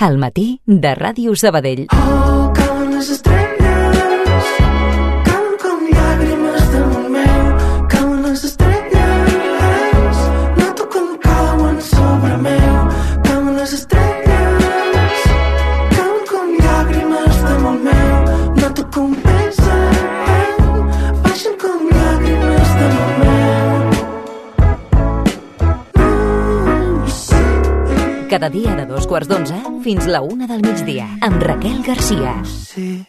Al matí de Ràdio Sabadell. Oh, cauen les estrelles, cauen com llàgrimes damunt meu, cauen les estrelles, noto com cauen sobre meu, cauen les estrelles, cauen com llàgrimes damunt meu, noto com pesen, baixen com llàgrimes damunt meu. Cada dia de 2:15 fins la 1 del migdia, amb Raquel Garcia. Sí.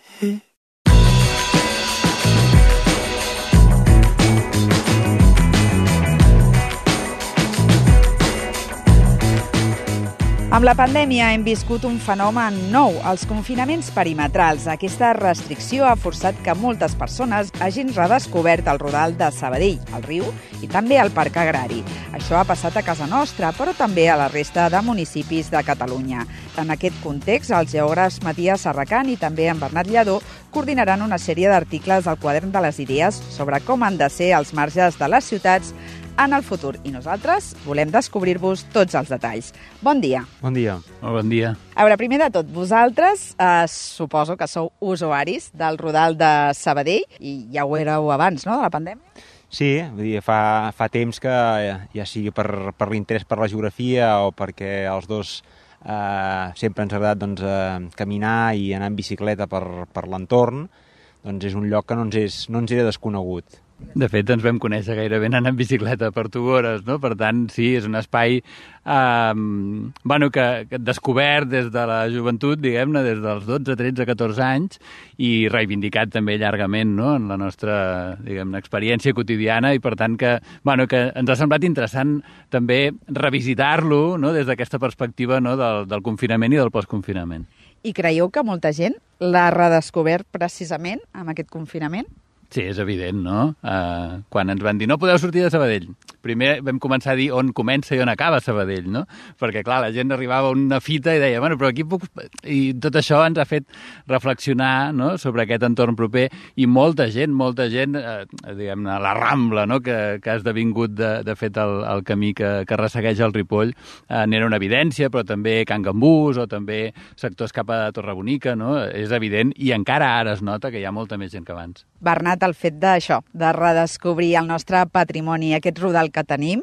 Amb la pandèmia hem viscut un fenomen nou, els confinaments perimetrals. Aquesta restricció ha forçat que moltes persones hagin redescobert el Rodal de Sabadell, el riu i també el Parc Agrari. Això ha passat a casa nostra, però també a la resta de municipis de Catalunya. En aquest context, els geògrafs Matías Serracant i també en Bernat Lladó coordinaran una sèrie d'articles al Quadern de les Idees sobre com han de ser els marges de les ciutats en el futur. I nosaltres volem descobrir-vos tots els detalls. Bon dia. Bon dia. Bon dia. A veure, primer de tot, vosaltres suposo que sou usuaris del Rodal de Sabadell i ja ho éreu abans, no?, de la pandèmia? Sí, vull dir, fa temps que ja sigui per l'interès per la geografia o perquè els dos sempre ens ha agradat caminar i anar en bicicleta per l'entorn, doncs és un lloc que no ens era desconegut. De fet, ens vam conèixer gairebé anant en bicicleta per Tugores, no? Per tant, sí, és un espai que descobert des de la joventut, diguem-ne, des dels 12, 13, 14 anys i reivindicat també llargament, no?, en la nostra, diguem-ne, experiència quotidiana i, per tant, que ens ha semblat interessant també revisitar-lo, no?, des d'aquesta perspectiva, no?, del confinament i del postconfinament. I creieu que molta gent l'ha redescobert precisament amb aquest confinament? Sí, és evident, no? Quan ens van dir no podeu sortir de Sabadell, primer vam començar a dir on comença i on acaba Sabadell, no? Perquè, clar, la gent arribava a una fita i deia, bueno, però aquí puc... I tot això ens ha fet reflexionar, no?, sobre aquest entorn proper i molta gent, diguem-ne, la Rambla, no?, que ha esdevingut, de fet, el camí que ressegueix el Ripoll, n'era una evidència, però també Can Gambús o també sectors cap a Torrebonica, no? És evident i encara ara es nota que hi ha molta més gent que abans. Bernat, el fet d'això, de redescobrir el nostre patrimoni, aquest rodal que tenim,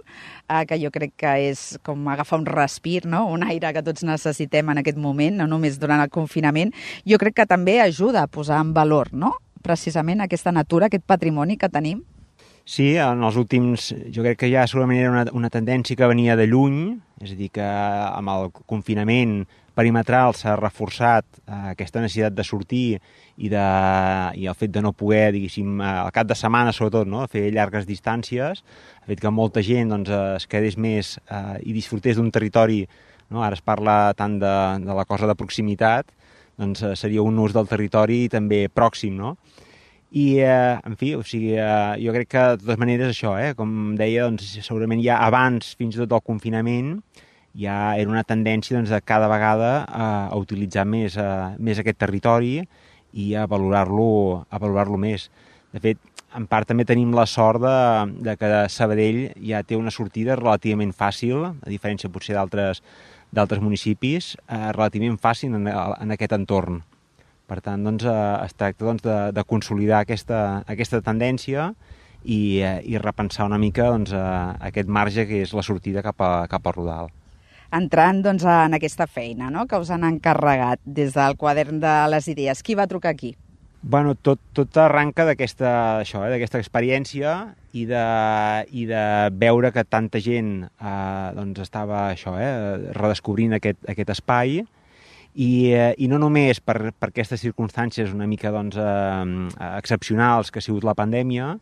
que jo crec que és com agafar un respir, no?, un aire que tots necessitem en aquest moment, no només durant el confinament, jo crec que també ajuda a posar en valor, no?, precisament aquesta natura, aquest patrimoni que tenim. Sí, en els últims... Jo crec que ja segurament era una tendència que venia de lluny, és a dir, que amb el confinament perimetral s'ha reforçat aquesta necessitat de sortir i el fet de no poder, diguéssim, al cap de setmana, sobretot, no?, fer llargues distàncies, ha fet que molta gent es quedés més i disfrutés d'un territori, no?, ara es parla tant de la cosa de proximitat, doncs seria un ús del territori també pròxim, no? I, en fi, o sigui, jo crec que de totes maneres això, com deia, doncs segurament ja abans, fins i tot del confinament, ja era una tendència de cada vegada a utilitzar més aquest territori i a valorar-lo més. De fet, en part també tenim la sort de que Sabadell ja té una sortida relativament fàcil, a diferència potser d'altres municipis, relativament fàcil en aquest entorn. Per tant, doncs, es tracta de consolidar aquesta tendència i repensar una mica aquest marge que és la sortida cap al Rodal. Entrant en aquesta feina, no?, que us han encarregat des del Quadern de les Idees, qui va trucar aquí? Bueno, tot arranca d'aquesta experiència i de veure que tanta gent estava redescobrint aquest espai i no només per aquestes circumstàncies una mica excepcionals que ha sigut la pandèmia,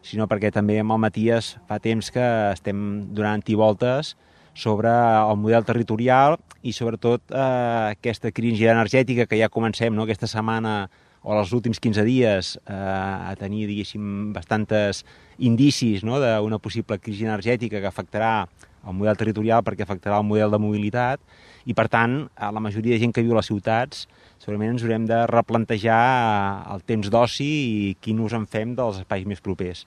sinó perquè també amb el Matías fa temps que estem donant-hi voltes sobre el model territorial i sobretot aquesta crisi energètica que ja comencem, no?, aquesta setmana o els últims 15 dies a tenir, diguéssim, bastantes indicis, no?, d'una possible crisi energètica que afectarà el model territorial perquè afectarà el model de mobilitat i, per tant, la majoria de gent que viu a les ciutats segurament ens haurem de replantejar el temps d'oci i quin ús en fem dels espais més propers.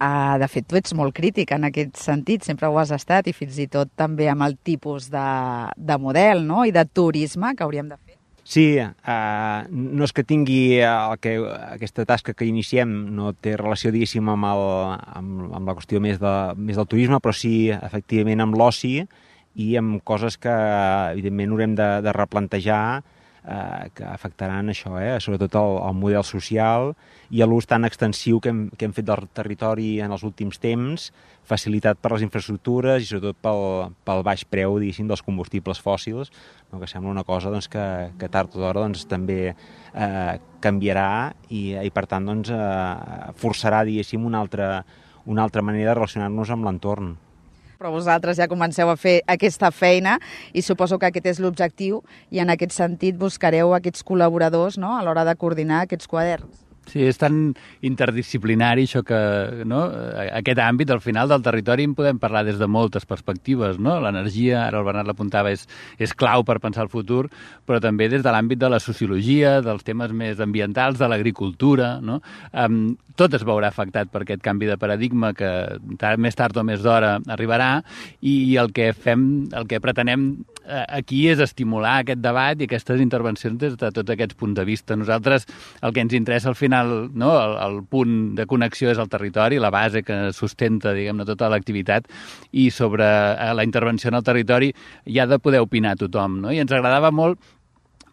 De fet, tu ets molt crític en aquest sentit, sempre ho has estat, i fins i tot també amb el tipus de model, no?, i de turisme que hauríem de fer. Sí, no és que tingui aquesta tasca que iniciem no té relació, diguéssim, amb la qüestió més del turisme, però sí, efectivament, amb l'oci i amb coses que, evidentment, haurem de replantejar, que afectaran això, sobretot el model social i l'ús tan extensiu que hem fet del territori en els últims temps, facilitat per les infraestructures i sobretot pel baix preu, diguéssim, dels combustibles fòssils, que sembla una cosa doncs, que tard o d'hora doncs, també canviarà i per tant doncs, forçarà, diguéssim, una altra manera de relacionar-nos amb l'entorn. Però vosaltres ja comenceu a fer aquesta feina i suposo que aquest és l'objectiu i en aquest sentit buscareu aquests col·laboradors, no?, a l'hora de coordinar aquests quaderns. Sí, és tan interdisciplinari això que, no? Aquest àmbit, al final, del territori en podem parlar des de moltes perspectives, no? L'energia, ara el Bernat l'apuntava, és clau per pensar el futur, però també des de l'àmbit de la sociologia, dels temes més ambientals, de l'agricultura, no? Tot es veurà afectat per aquest canvi de paradigma que més tard o més d'hora arribarà i el que pretenem aquí és estimular aquest debat i aquestes intervencions des de tots aquests punts de vista. Nosaltres, el que ens interessa al final, no, el punt de connexió és el territori, la base que sustenta, diguem-ne, tota l'activitat, i sobre la intervenció en el territori hi ha de poder opinar tothom, no? I ens agradava molt,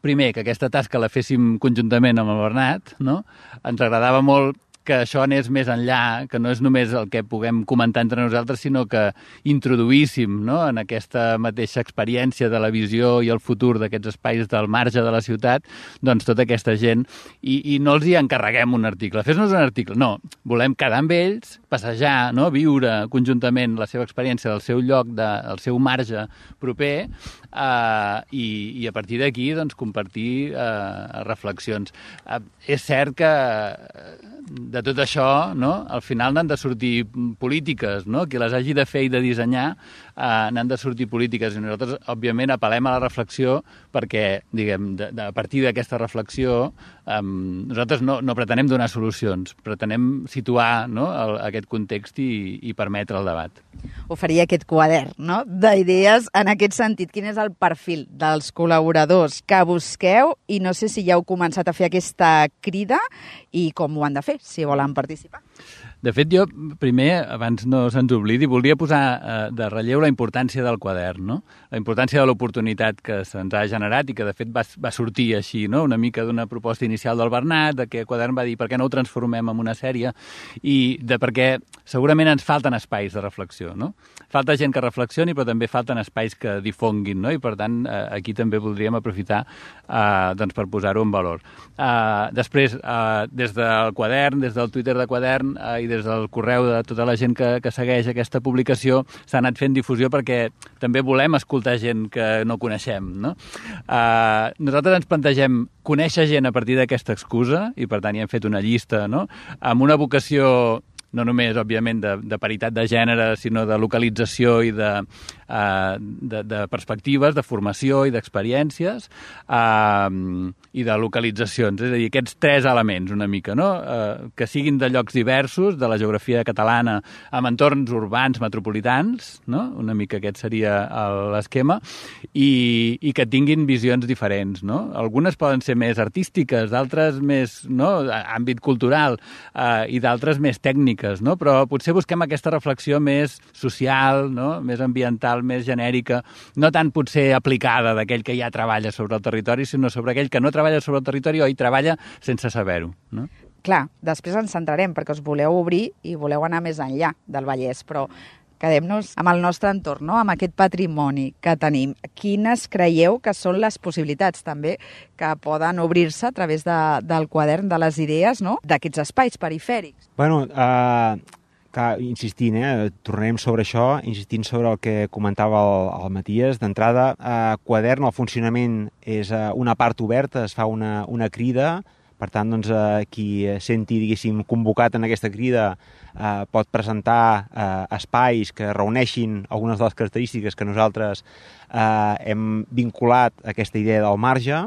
primer, que aquesta tasca la féssim conjuntament amb el Bernat, no? Ens agradava molt que això anés més enllà, que no és només el que puguem comentar entre nosaltres, sinó que introduíssim, no?, en aquesta mateixa experiència de la visió i el futur d'aquests espais del marge de la ciutat, doncs tota aquesta gent, i no els hi encarreguem un article. Fes-nos un article. No, volem quedar amb ells, passejar, no?, viure conjuntament la seva experiència del seu lloc, del seu marge proper, i a partir d'aquí doncs, compartir reflexions. És cert que de tot això, no, al final n'han de sortir polítiques, no? Qui les hagi de fer i de dissenyar n'han de sortir polítiques, i nosaltres, òbviament, apel·lem a la reflexió perquè, diguem, a partir d'aquesta reflexió nosaltres no pretenem donar solucions, pretenem situar, no, aquest context i permetre el debat. Oferir aquest quadern, no?, d'idees en aquest sentit. Quin és el perfil dels col·laboradors que busqueu i no sé si ja heu començat a fer aquesta crida i com ho han de fer, si volen participar? De fet, jo, primer, abans no se'ns oblidi, voldria posar de relleu la importància del quadern, no? La importància de l'oportunitat que se'ns ha generat i que, de fet, va sortir així, no?, una mica d'una proposta inicial del Bernat, de que el quadern va dir per què no ho transformem en una sèrie, i perquè segurament ens falten espais de reflexió, no? Falta gent que reflexioni, però també falten espais que difonguin, no? I, per tant, aquí també voldríem aprofitar doncs, per posar-ho en valor. Després, des del quadern, des del Twitter de quadern i des del correu de tota la gent que segueix aquesta publicació, s'ha anat fent difusió perquè també volem escoltar gent que no coneixem, no? Nosaltres ens plantegem conèixer gent a partir d'aquesta excusa i, per tant, hi hem fet una llista, no?, amb una vocació no només, òbviament, de paritat de gènere, sinó de localització i de perspectives, de formació i d'experiències i de localitzacions. És a dir, aquests tres elements, una mica, no? Que siguin de llocs diversos, de la geografia catalana, amb entorns urbans metropolitans, no? Una mica aquest seria l'esquema, i que tinguin visions diferents, no? Algunes poden ser més artístiques, d'altres més, no?, àmbit cultural, i d'altres més tècniques, no? Però potser busquem aquesta reflexió més social, no?, més ambiental, més genèrica, no tant potser aplicada d'aquell que ja treballa sobre el territori, sinó sobre aquell que no treballa sobre el territori o hi treballa sense saber-ho, no? Clar, després ens centrarem perquè us voleu obrir i voleu anar més enllà del Vallès, però quedem-nos amb el nostre entorn, no?, amb aquest patrimoni que tenim. Quines creieu que són les possibilitats també que poden obrir-se a través del quadern de les idees, no?, d'aquests espais perifèrics? Bueno, insistint, tornarem sobre això, insistint sobre el que comentava el Matías. D'entrada, quadern, el funcionament és una part oberta, es fa una crida. Per tant, doncs, qui senti, diguéssim, convocat en aquesta crida pot presentar espais que reuneixin algunes de les característiques que nosaltres hem vinculat a aquesta idea del marge.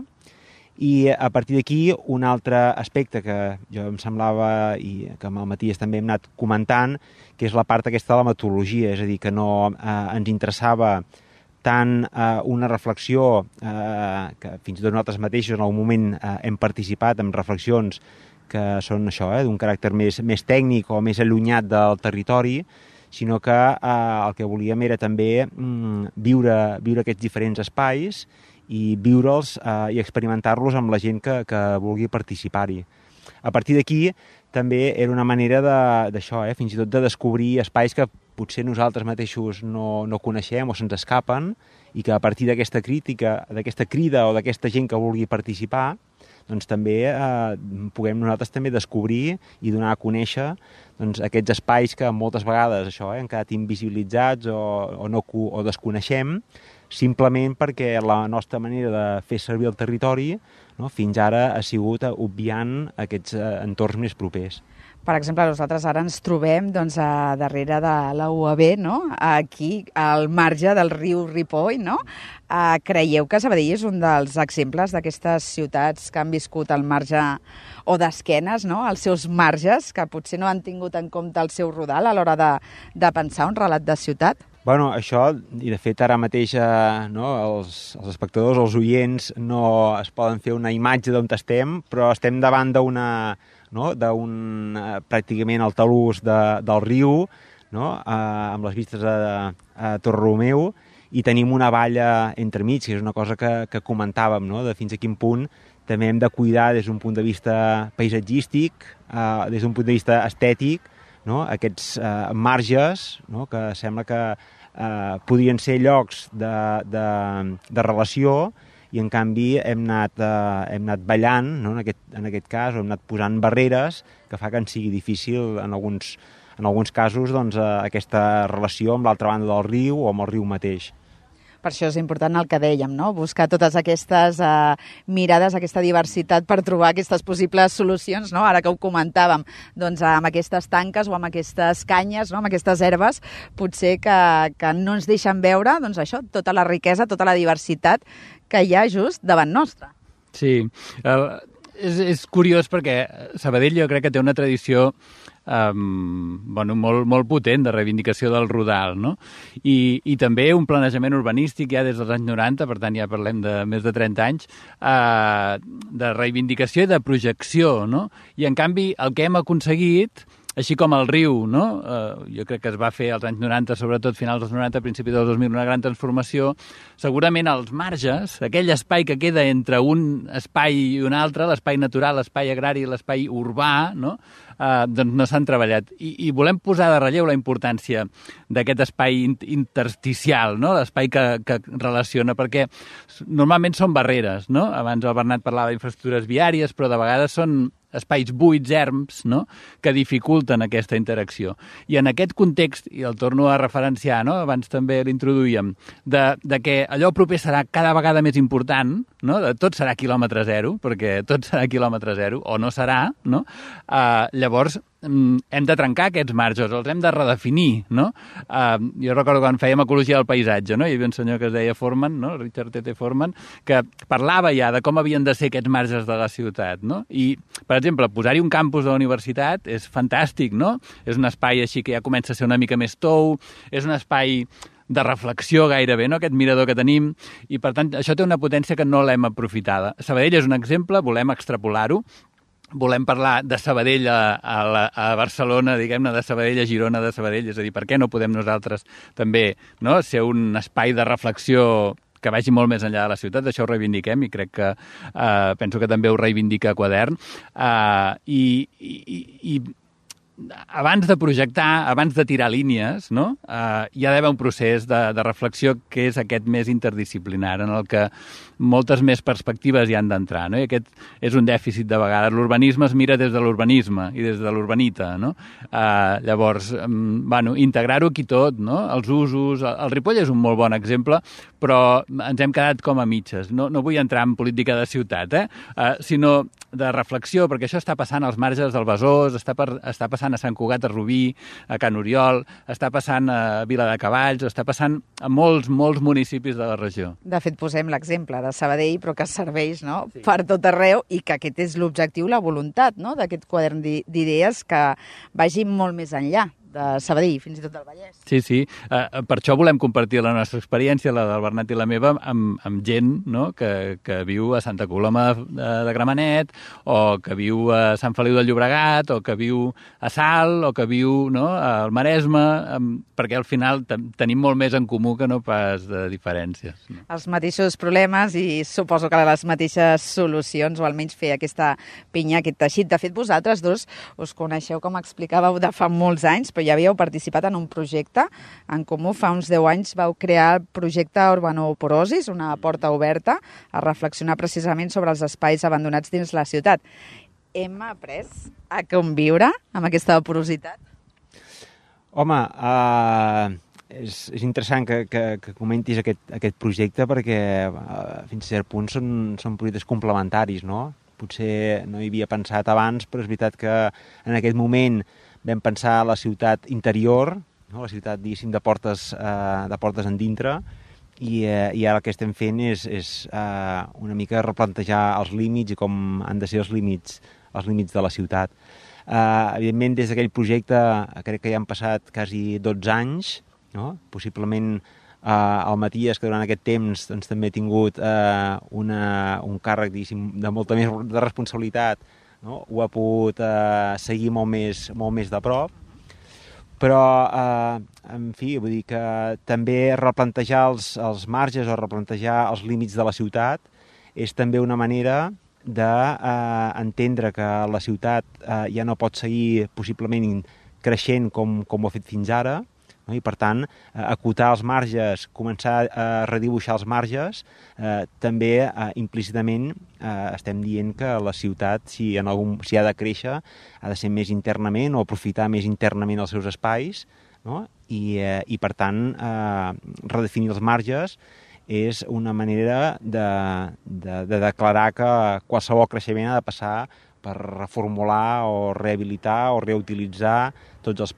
I a partir d'aquí, un altre aspecte que jo em semblava i que amb el Matías també hem anat comentant, que és la part aquesta de la metodologia, és a dir, que no ens interessava tant una reflexió que fins i tot nosaltres mateixos en algun moment hem participat en reflexions que són això, d'un caràcter més tècnic o més allunyat del territori, sinó que el que volíem era també viure aquests diferents espais i viure'ls i experimentar-los amb la gent que vulgui participar-hi. A partir d'aquí també era una manera d'això, fins i tot de descobrir espais que potser nosaltres mateixos no coneixem o se'ns escapen i que a partir d'aquesta crítica, d'aquesta crida o d'aquesta gent que vulgui participar, doncs també puguem nosaltres també descobrir i donar a conèixer doncs, aquests espais que moltes vegades això, han quedat invisibilitzats o desconeixem, simplement perquè la nostra manera de fer servir el territori fins ara ha sigut obviant aquests entorns més propers. Per exemple, nosaltres ara ens trobem darrere de la UAB, aquí al marge del riu Ripoll. Creieu que Sabadell és un dels exemples d'aquestes ciutats que han viscut al marge o d'esquenes, als seus marges, que potser no han tingut en compte el seu rodal a l'hora de pensar un relat de ciutat? Bueno, això, i de fet ara mateix els espectadors, els oients, no es poden fer una imatge d'on estem, però estem davant pràcticament al talús del riu, amb les vistes a Torreromeu, i tenim una valla entremig, que és una cosa que comentàvem, de fins a quin punt també hem de cuidar des d'un punt de vista paisatgístic, des d'un punt de vista estètic, aquests marges, que sembla que podrien ser llocs de relació, i en canvi hem anat ballant, en aquest cas, o hem anat posant barreres que fa que ens sigui difícil en alguns casos aquesta relació amb l'altra banda del riu o amb el riu mateix. Per això és important el que dèiem, buscar totes aquestes mirades, aquesta diversitat per trobar aquestes possibles solucions, ara que ho comentàvem, amb aquestes tanques o amb aquestes canyes, amb aquestes herbes, potser que no ens deixen veure això, tota la riquesa, tota la diversitat que hi ha just davant nostre. Sí, és curiós perquè Sabadell jo crec que té una tradició molt potent de reivindicació del rodal, I també un planejament urbanístic ja des dels anys 90, per tant ja parlem de més de 30 anys, de reivindicació i de projecció, I en canvi el que hem aconseguit, així com el riu, jo crec que es va fer als anys 90, sobretot finals dels 90, principi dels 2000, una gran transformació, segurament als marges, aquell espai que queda entre un espai i un altre, l'espai natural, l'espai agrari i l'espai urbà, doncs no s'han treballat. I volem posar de relleu la importància d'aquest espai intersticial, l'espai que relaciona, perquè normalment són barreres, Abans el Bernat parlava d'infraestructures viàries, però de vegades són espais buits, erms, que dificulten aquesta interacció. I en aquest context, i el torno a referenciar, abans també l'introduïem, de que allò proper serà cada vegada més important, tot serà quilòmetre zero, perquè tot serà quilòmetre zero, o no serà, llavors hem de trencar aquests marges, els hem de redefinir, Jo recordo quan fèiem ecologia del paisatge, hi havia un senyor que es deia Forman, Richard T. Forman, que parlava ja de com havien de ser aquests marges de la ciutat, I, per exemple, posar-hi un campus de la universitat és fantàstic, És un espai així que ja comença a ser una mica més tou, és un espai de reflexió gairebé, aquest mirador que tenim, i per tant això té una potència que no l'hem aprofitada. Sabadell és un exemple, volem extrapolar-ho, volem parlar de Sabadell a Barcelona, diguem-ne, de Sabadell a Girona, de Sabadell, és a dir, per què no podem nosaltres també ser un espai de reflexió que vagi molt més enllà de la ciutat, això ho reivindiquem i crec que penso que també ho reivindica Quadern. I abans de projectar, abans de tirar línies, hi ha d'haver un procés de reflexió que és aquest més interdisciplinar, en el que moltes més perspectives hi han d'entrar, I aquest és un dèficit de vegades. L'urbanisme es mira des de l'urbanisme i des de l'urbanita, Llavors, integrar-ho aquí tot, els usos. El Ripoll és un molt bon exemple, però ens hem quedat com a mitges. No vull entrar en política de ciutat, sinó de reflexió, perquè això està passant als marges del Besòs, està passant a Sant Cugat, a Rubí, a Can Oriol, està passant a Viladecavalls, està passant a molts municipis de la regió. De fet, posem l'exemple de Sabadell, però que serveix, no?, per tot arreu, i que aquest és l'objectiu, la voluntat, no?, d'aquest quadern d'idees que vagi molt més enllà de Sabadell, fins i tot del Vallès. Sí. Per això volem compartir la nostra experiència, la del Bernat i la meva, amb gent, no?, que viu a Santa Coloma de Gramenet, o que viu a Sant Feliu de Llobregat, o que viu a Salt, o que viu, no?, al Maresme, perquè al final tenim molt més en comú que no pas de diferències. No? Els mateixos problemes i suposo que les mateixes solucions, o almenys fer aquesta pinya, aquest teixit. De fet, vosaltres dos us coneixeu, com explicàveu, de fa molts anys, però ja havíeu participat en un projecte en comú. Fa uns 10 anys vau crear el projecte Urbanoporosis, una porta oberta a reflexionar precisament sobre els espais abandonats dins la ciutat. Hem après a conviure amb aquesta porositat? Home, és interessant que comentis aquest projecte, perquè fins a cert punt són projectes complementaris, no? Potser no hi havia pensat abans, però és veritat que en aquest moment vam pensar la ciutat interior, no? La ciutat, diguéssim, de portes en dintre, i ara el que estem fent és una mica replantejar els límits i com han de ser els límits de la ciutat. Evidentment, des d'aquell projecte crec que ja han passat quasi 12 anys, no? Possiblement el Matías, que durant aquest temps doncs, també ha tingut un càrrec, diguéssim, de molta més de responsabilitat, no? Ho ha pogut seguir molt més de prop, però, en fi, vull dir que també replantejar els marges o replantejar els límits de la ciutat és també una manera d'entendre que la ciutat ja no pot seguir possiblement creixent com ho ha fet fins ara, no? I per tant, acotar els marges, començar a redibuixar els marges, també implícitament estem dient que la ciutat, si ha de créixer, ha de ser més internament o aprofitar més internament els seus espais, no? I per tant, redefinir els marges és una manera de declarar que qualsevol creixement ha de passar per reformular o rehabilitar o reutilitzar tots els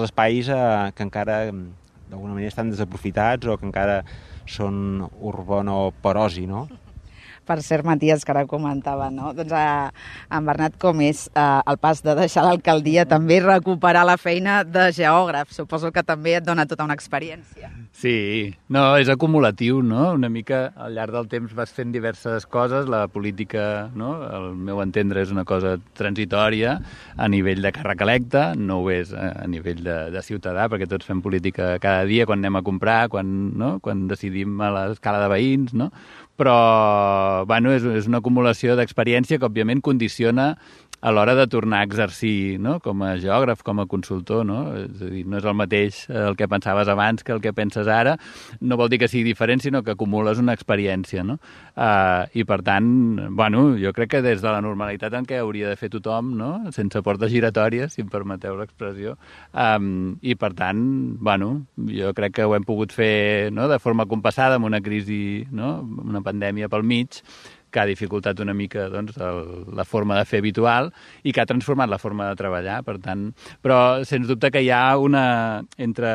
espais que encara d'alguna manera estan desaprofitats o que encara són urbanoporosi, no? Per cert, Matías, que ara comentava, no? Doncs en Bernat, com és el pas de deixar l'alcaldia, també recuperar la feina de geògraf? Suposo que també et dona tota una experiència. Sí, no, és acumulatiu, no? Una mica al llarg del temps vas fent diverses coses, la política, no? Al meu entendre, és una cosa transitòria a nivell de càrrec electe, no ho és a nivell de ciutadà, perquè tots fem política cada dia, quan anem a comprar, quan decidim a l'escala de veïns, no? Però, bueno, és una acumulació d'experiència que, òbviament, condiciona a l'hora de tornar a exercir, no? Com a geògraf, com a consultor, no? És a dir, no és el mateix el que pensaves abans que el que penses ara. No vol dir que sigui diferent, sinó que acumules una experiència, no? I, per tant, bueno, jo crec que des de la normalitat en què hauria de fer tothom, no? Sense portes giratòries, si em permeteu l'expressió. I, per tant, bueno, jo crec que ho hem pogut fer, no? De forma compassada, amb una crisi, no? Una pandèmia pel mig, que ha dificultat una mica doncs, la forma de fer habitual i que ha transformat la forma de treballar, per tant. Però, sens dubte, que hi ha entre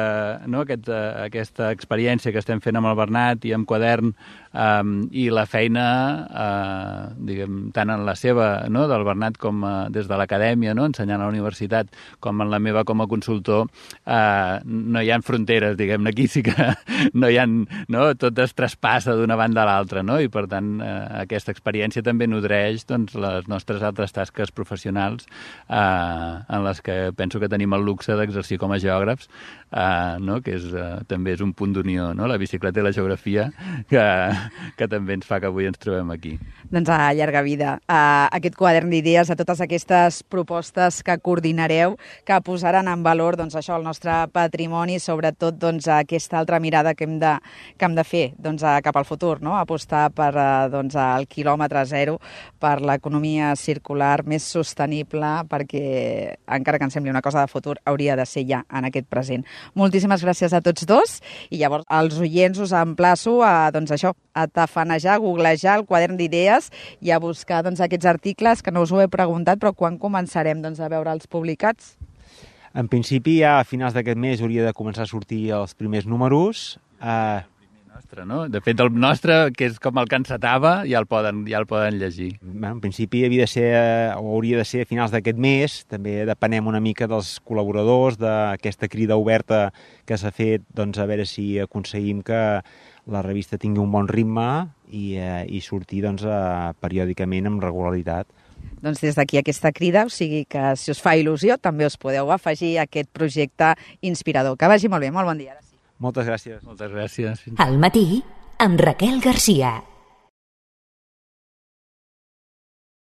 no, aquesta experiència que estem fent amb el Bernat i amb Quadern i la feina, diguem, tant en la seva, no, del Bernat com des de l'acadèmia, no, ensenyant a la universitat, com en la meva com a consultor, no hi ha fronteres, diguem-ne. Aquí sí que no hi ha, no, tot es traspassa d'una banda a l'altra, no? I per tant aquesta experiència també nodreix doncs, les nostres altres tasques professionals en les que penso que tenim el luxe d'exercir com a geògrafs, no? Que també és un punt d'unió, no? La bicicleta i la geografia, que també ens fa que avui ens trobem aquí. Doncs a llarga vida. Aquest quadern d'idees, a totes aquestes propostes que coordinareu, que posaran en valor doncs, això, el nostre patrimoni, sobretot doncs, aquesta altra mirada que hem de fer doncs, cap al futur, no? Apostar per doncs, el quilòmetre zero per l'economia circular més sostenible, perquè, encara que ens sembli una cosa de futur, hauria de ser ja en aquest present. Moltíssimes gràcies a tots dos, i llavors als oients us emplaço a, doncs això, a tafanejar, a googlejar el quadern d'idees i a buscar doncs, aquests articles que no us ho he preguntat, però quan començarem doncs, a veure'ls publicats? En principi, ja a finals d'aquest mes hauria de començar a sortir els primers números. Nostre, no? De fet, el nostre, que és com el que encetava, ja el poden llegir. En principi havia de ser, o hauria de ser a finals d'aquest mes. També depenem una mica dels col·laboradors, d'aquesta crida oberta que s'ha fet, doncs, a veure si aconseguim que la revista tingui un bon ritme i sortir doncs, periòdicament amb regularitat. Doncs des d'aquí aquesta crida, o sigui que si us fa il·lusió també us podeu afegir a aquest projecte inspirador. Que vagi molt bé, molt bon dia. Moltes gràcies. Moltes gràcies. Al matí, amb Raquel Garcia.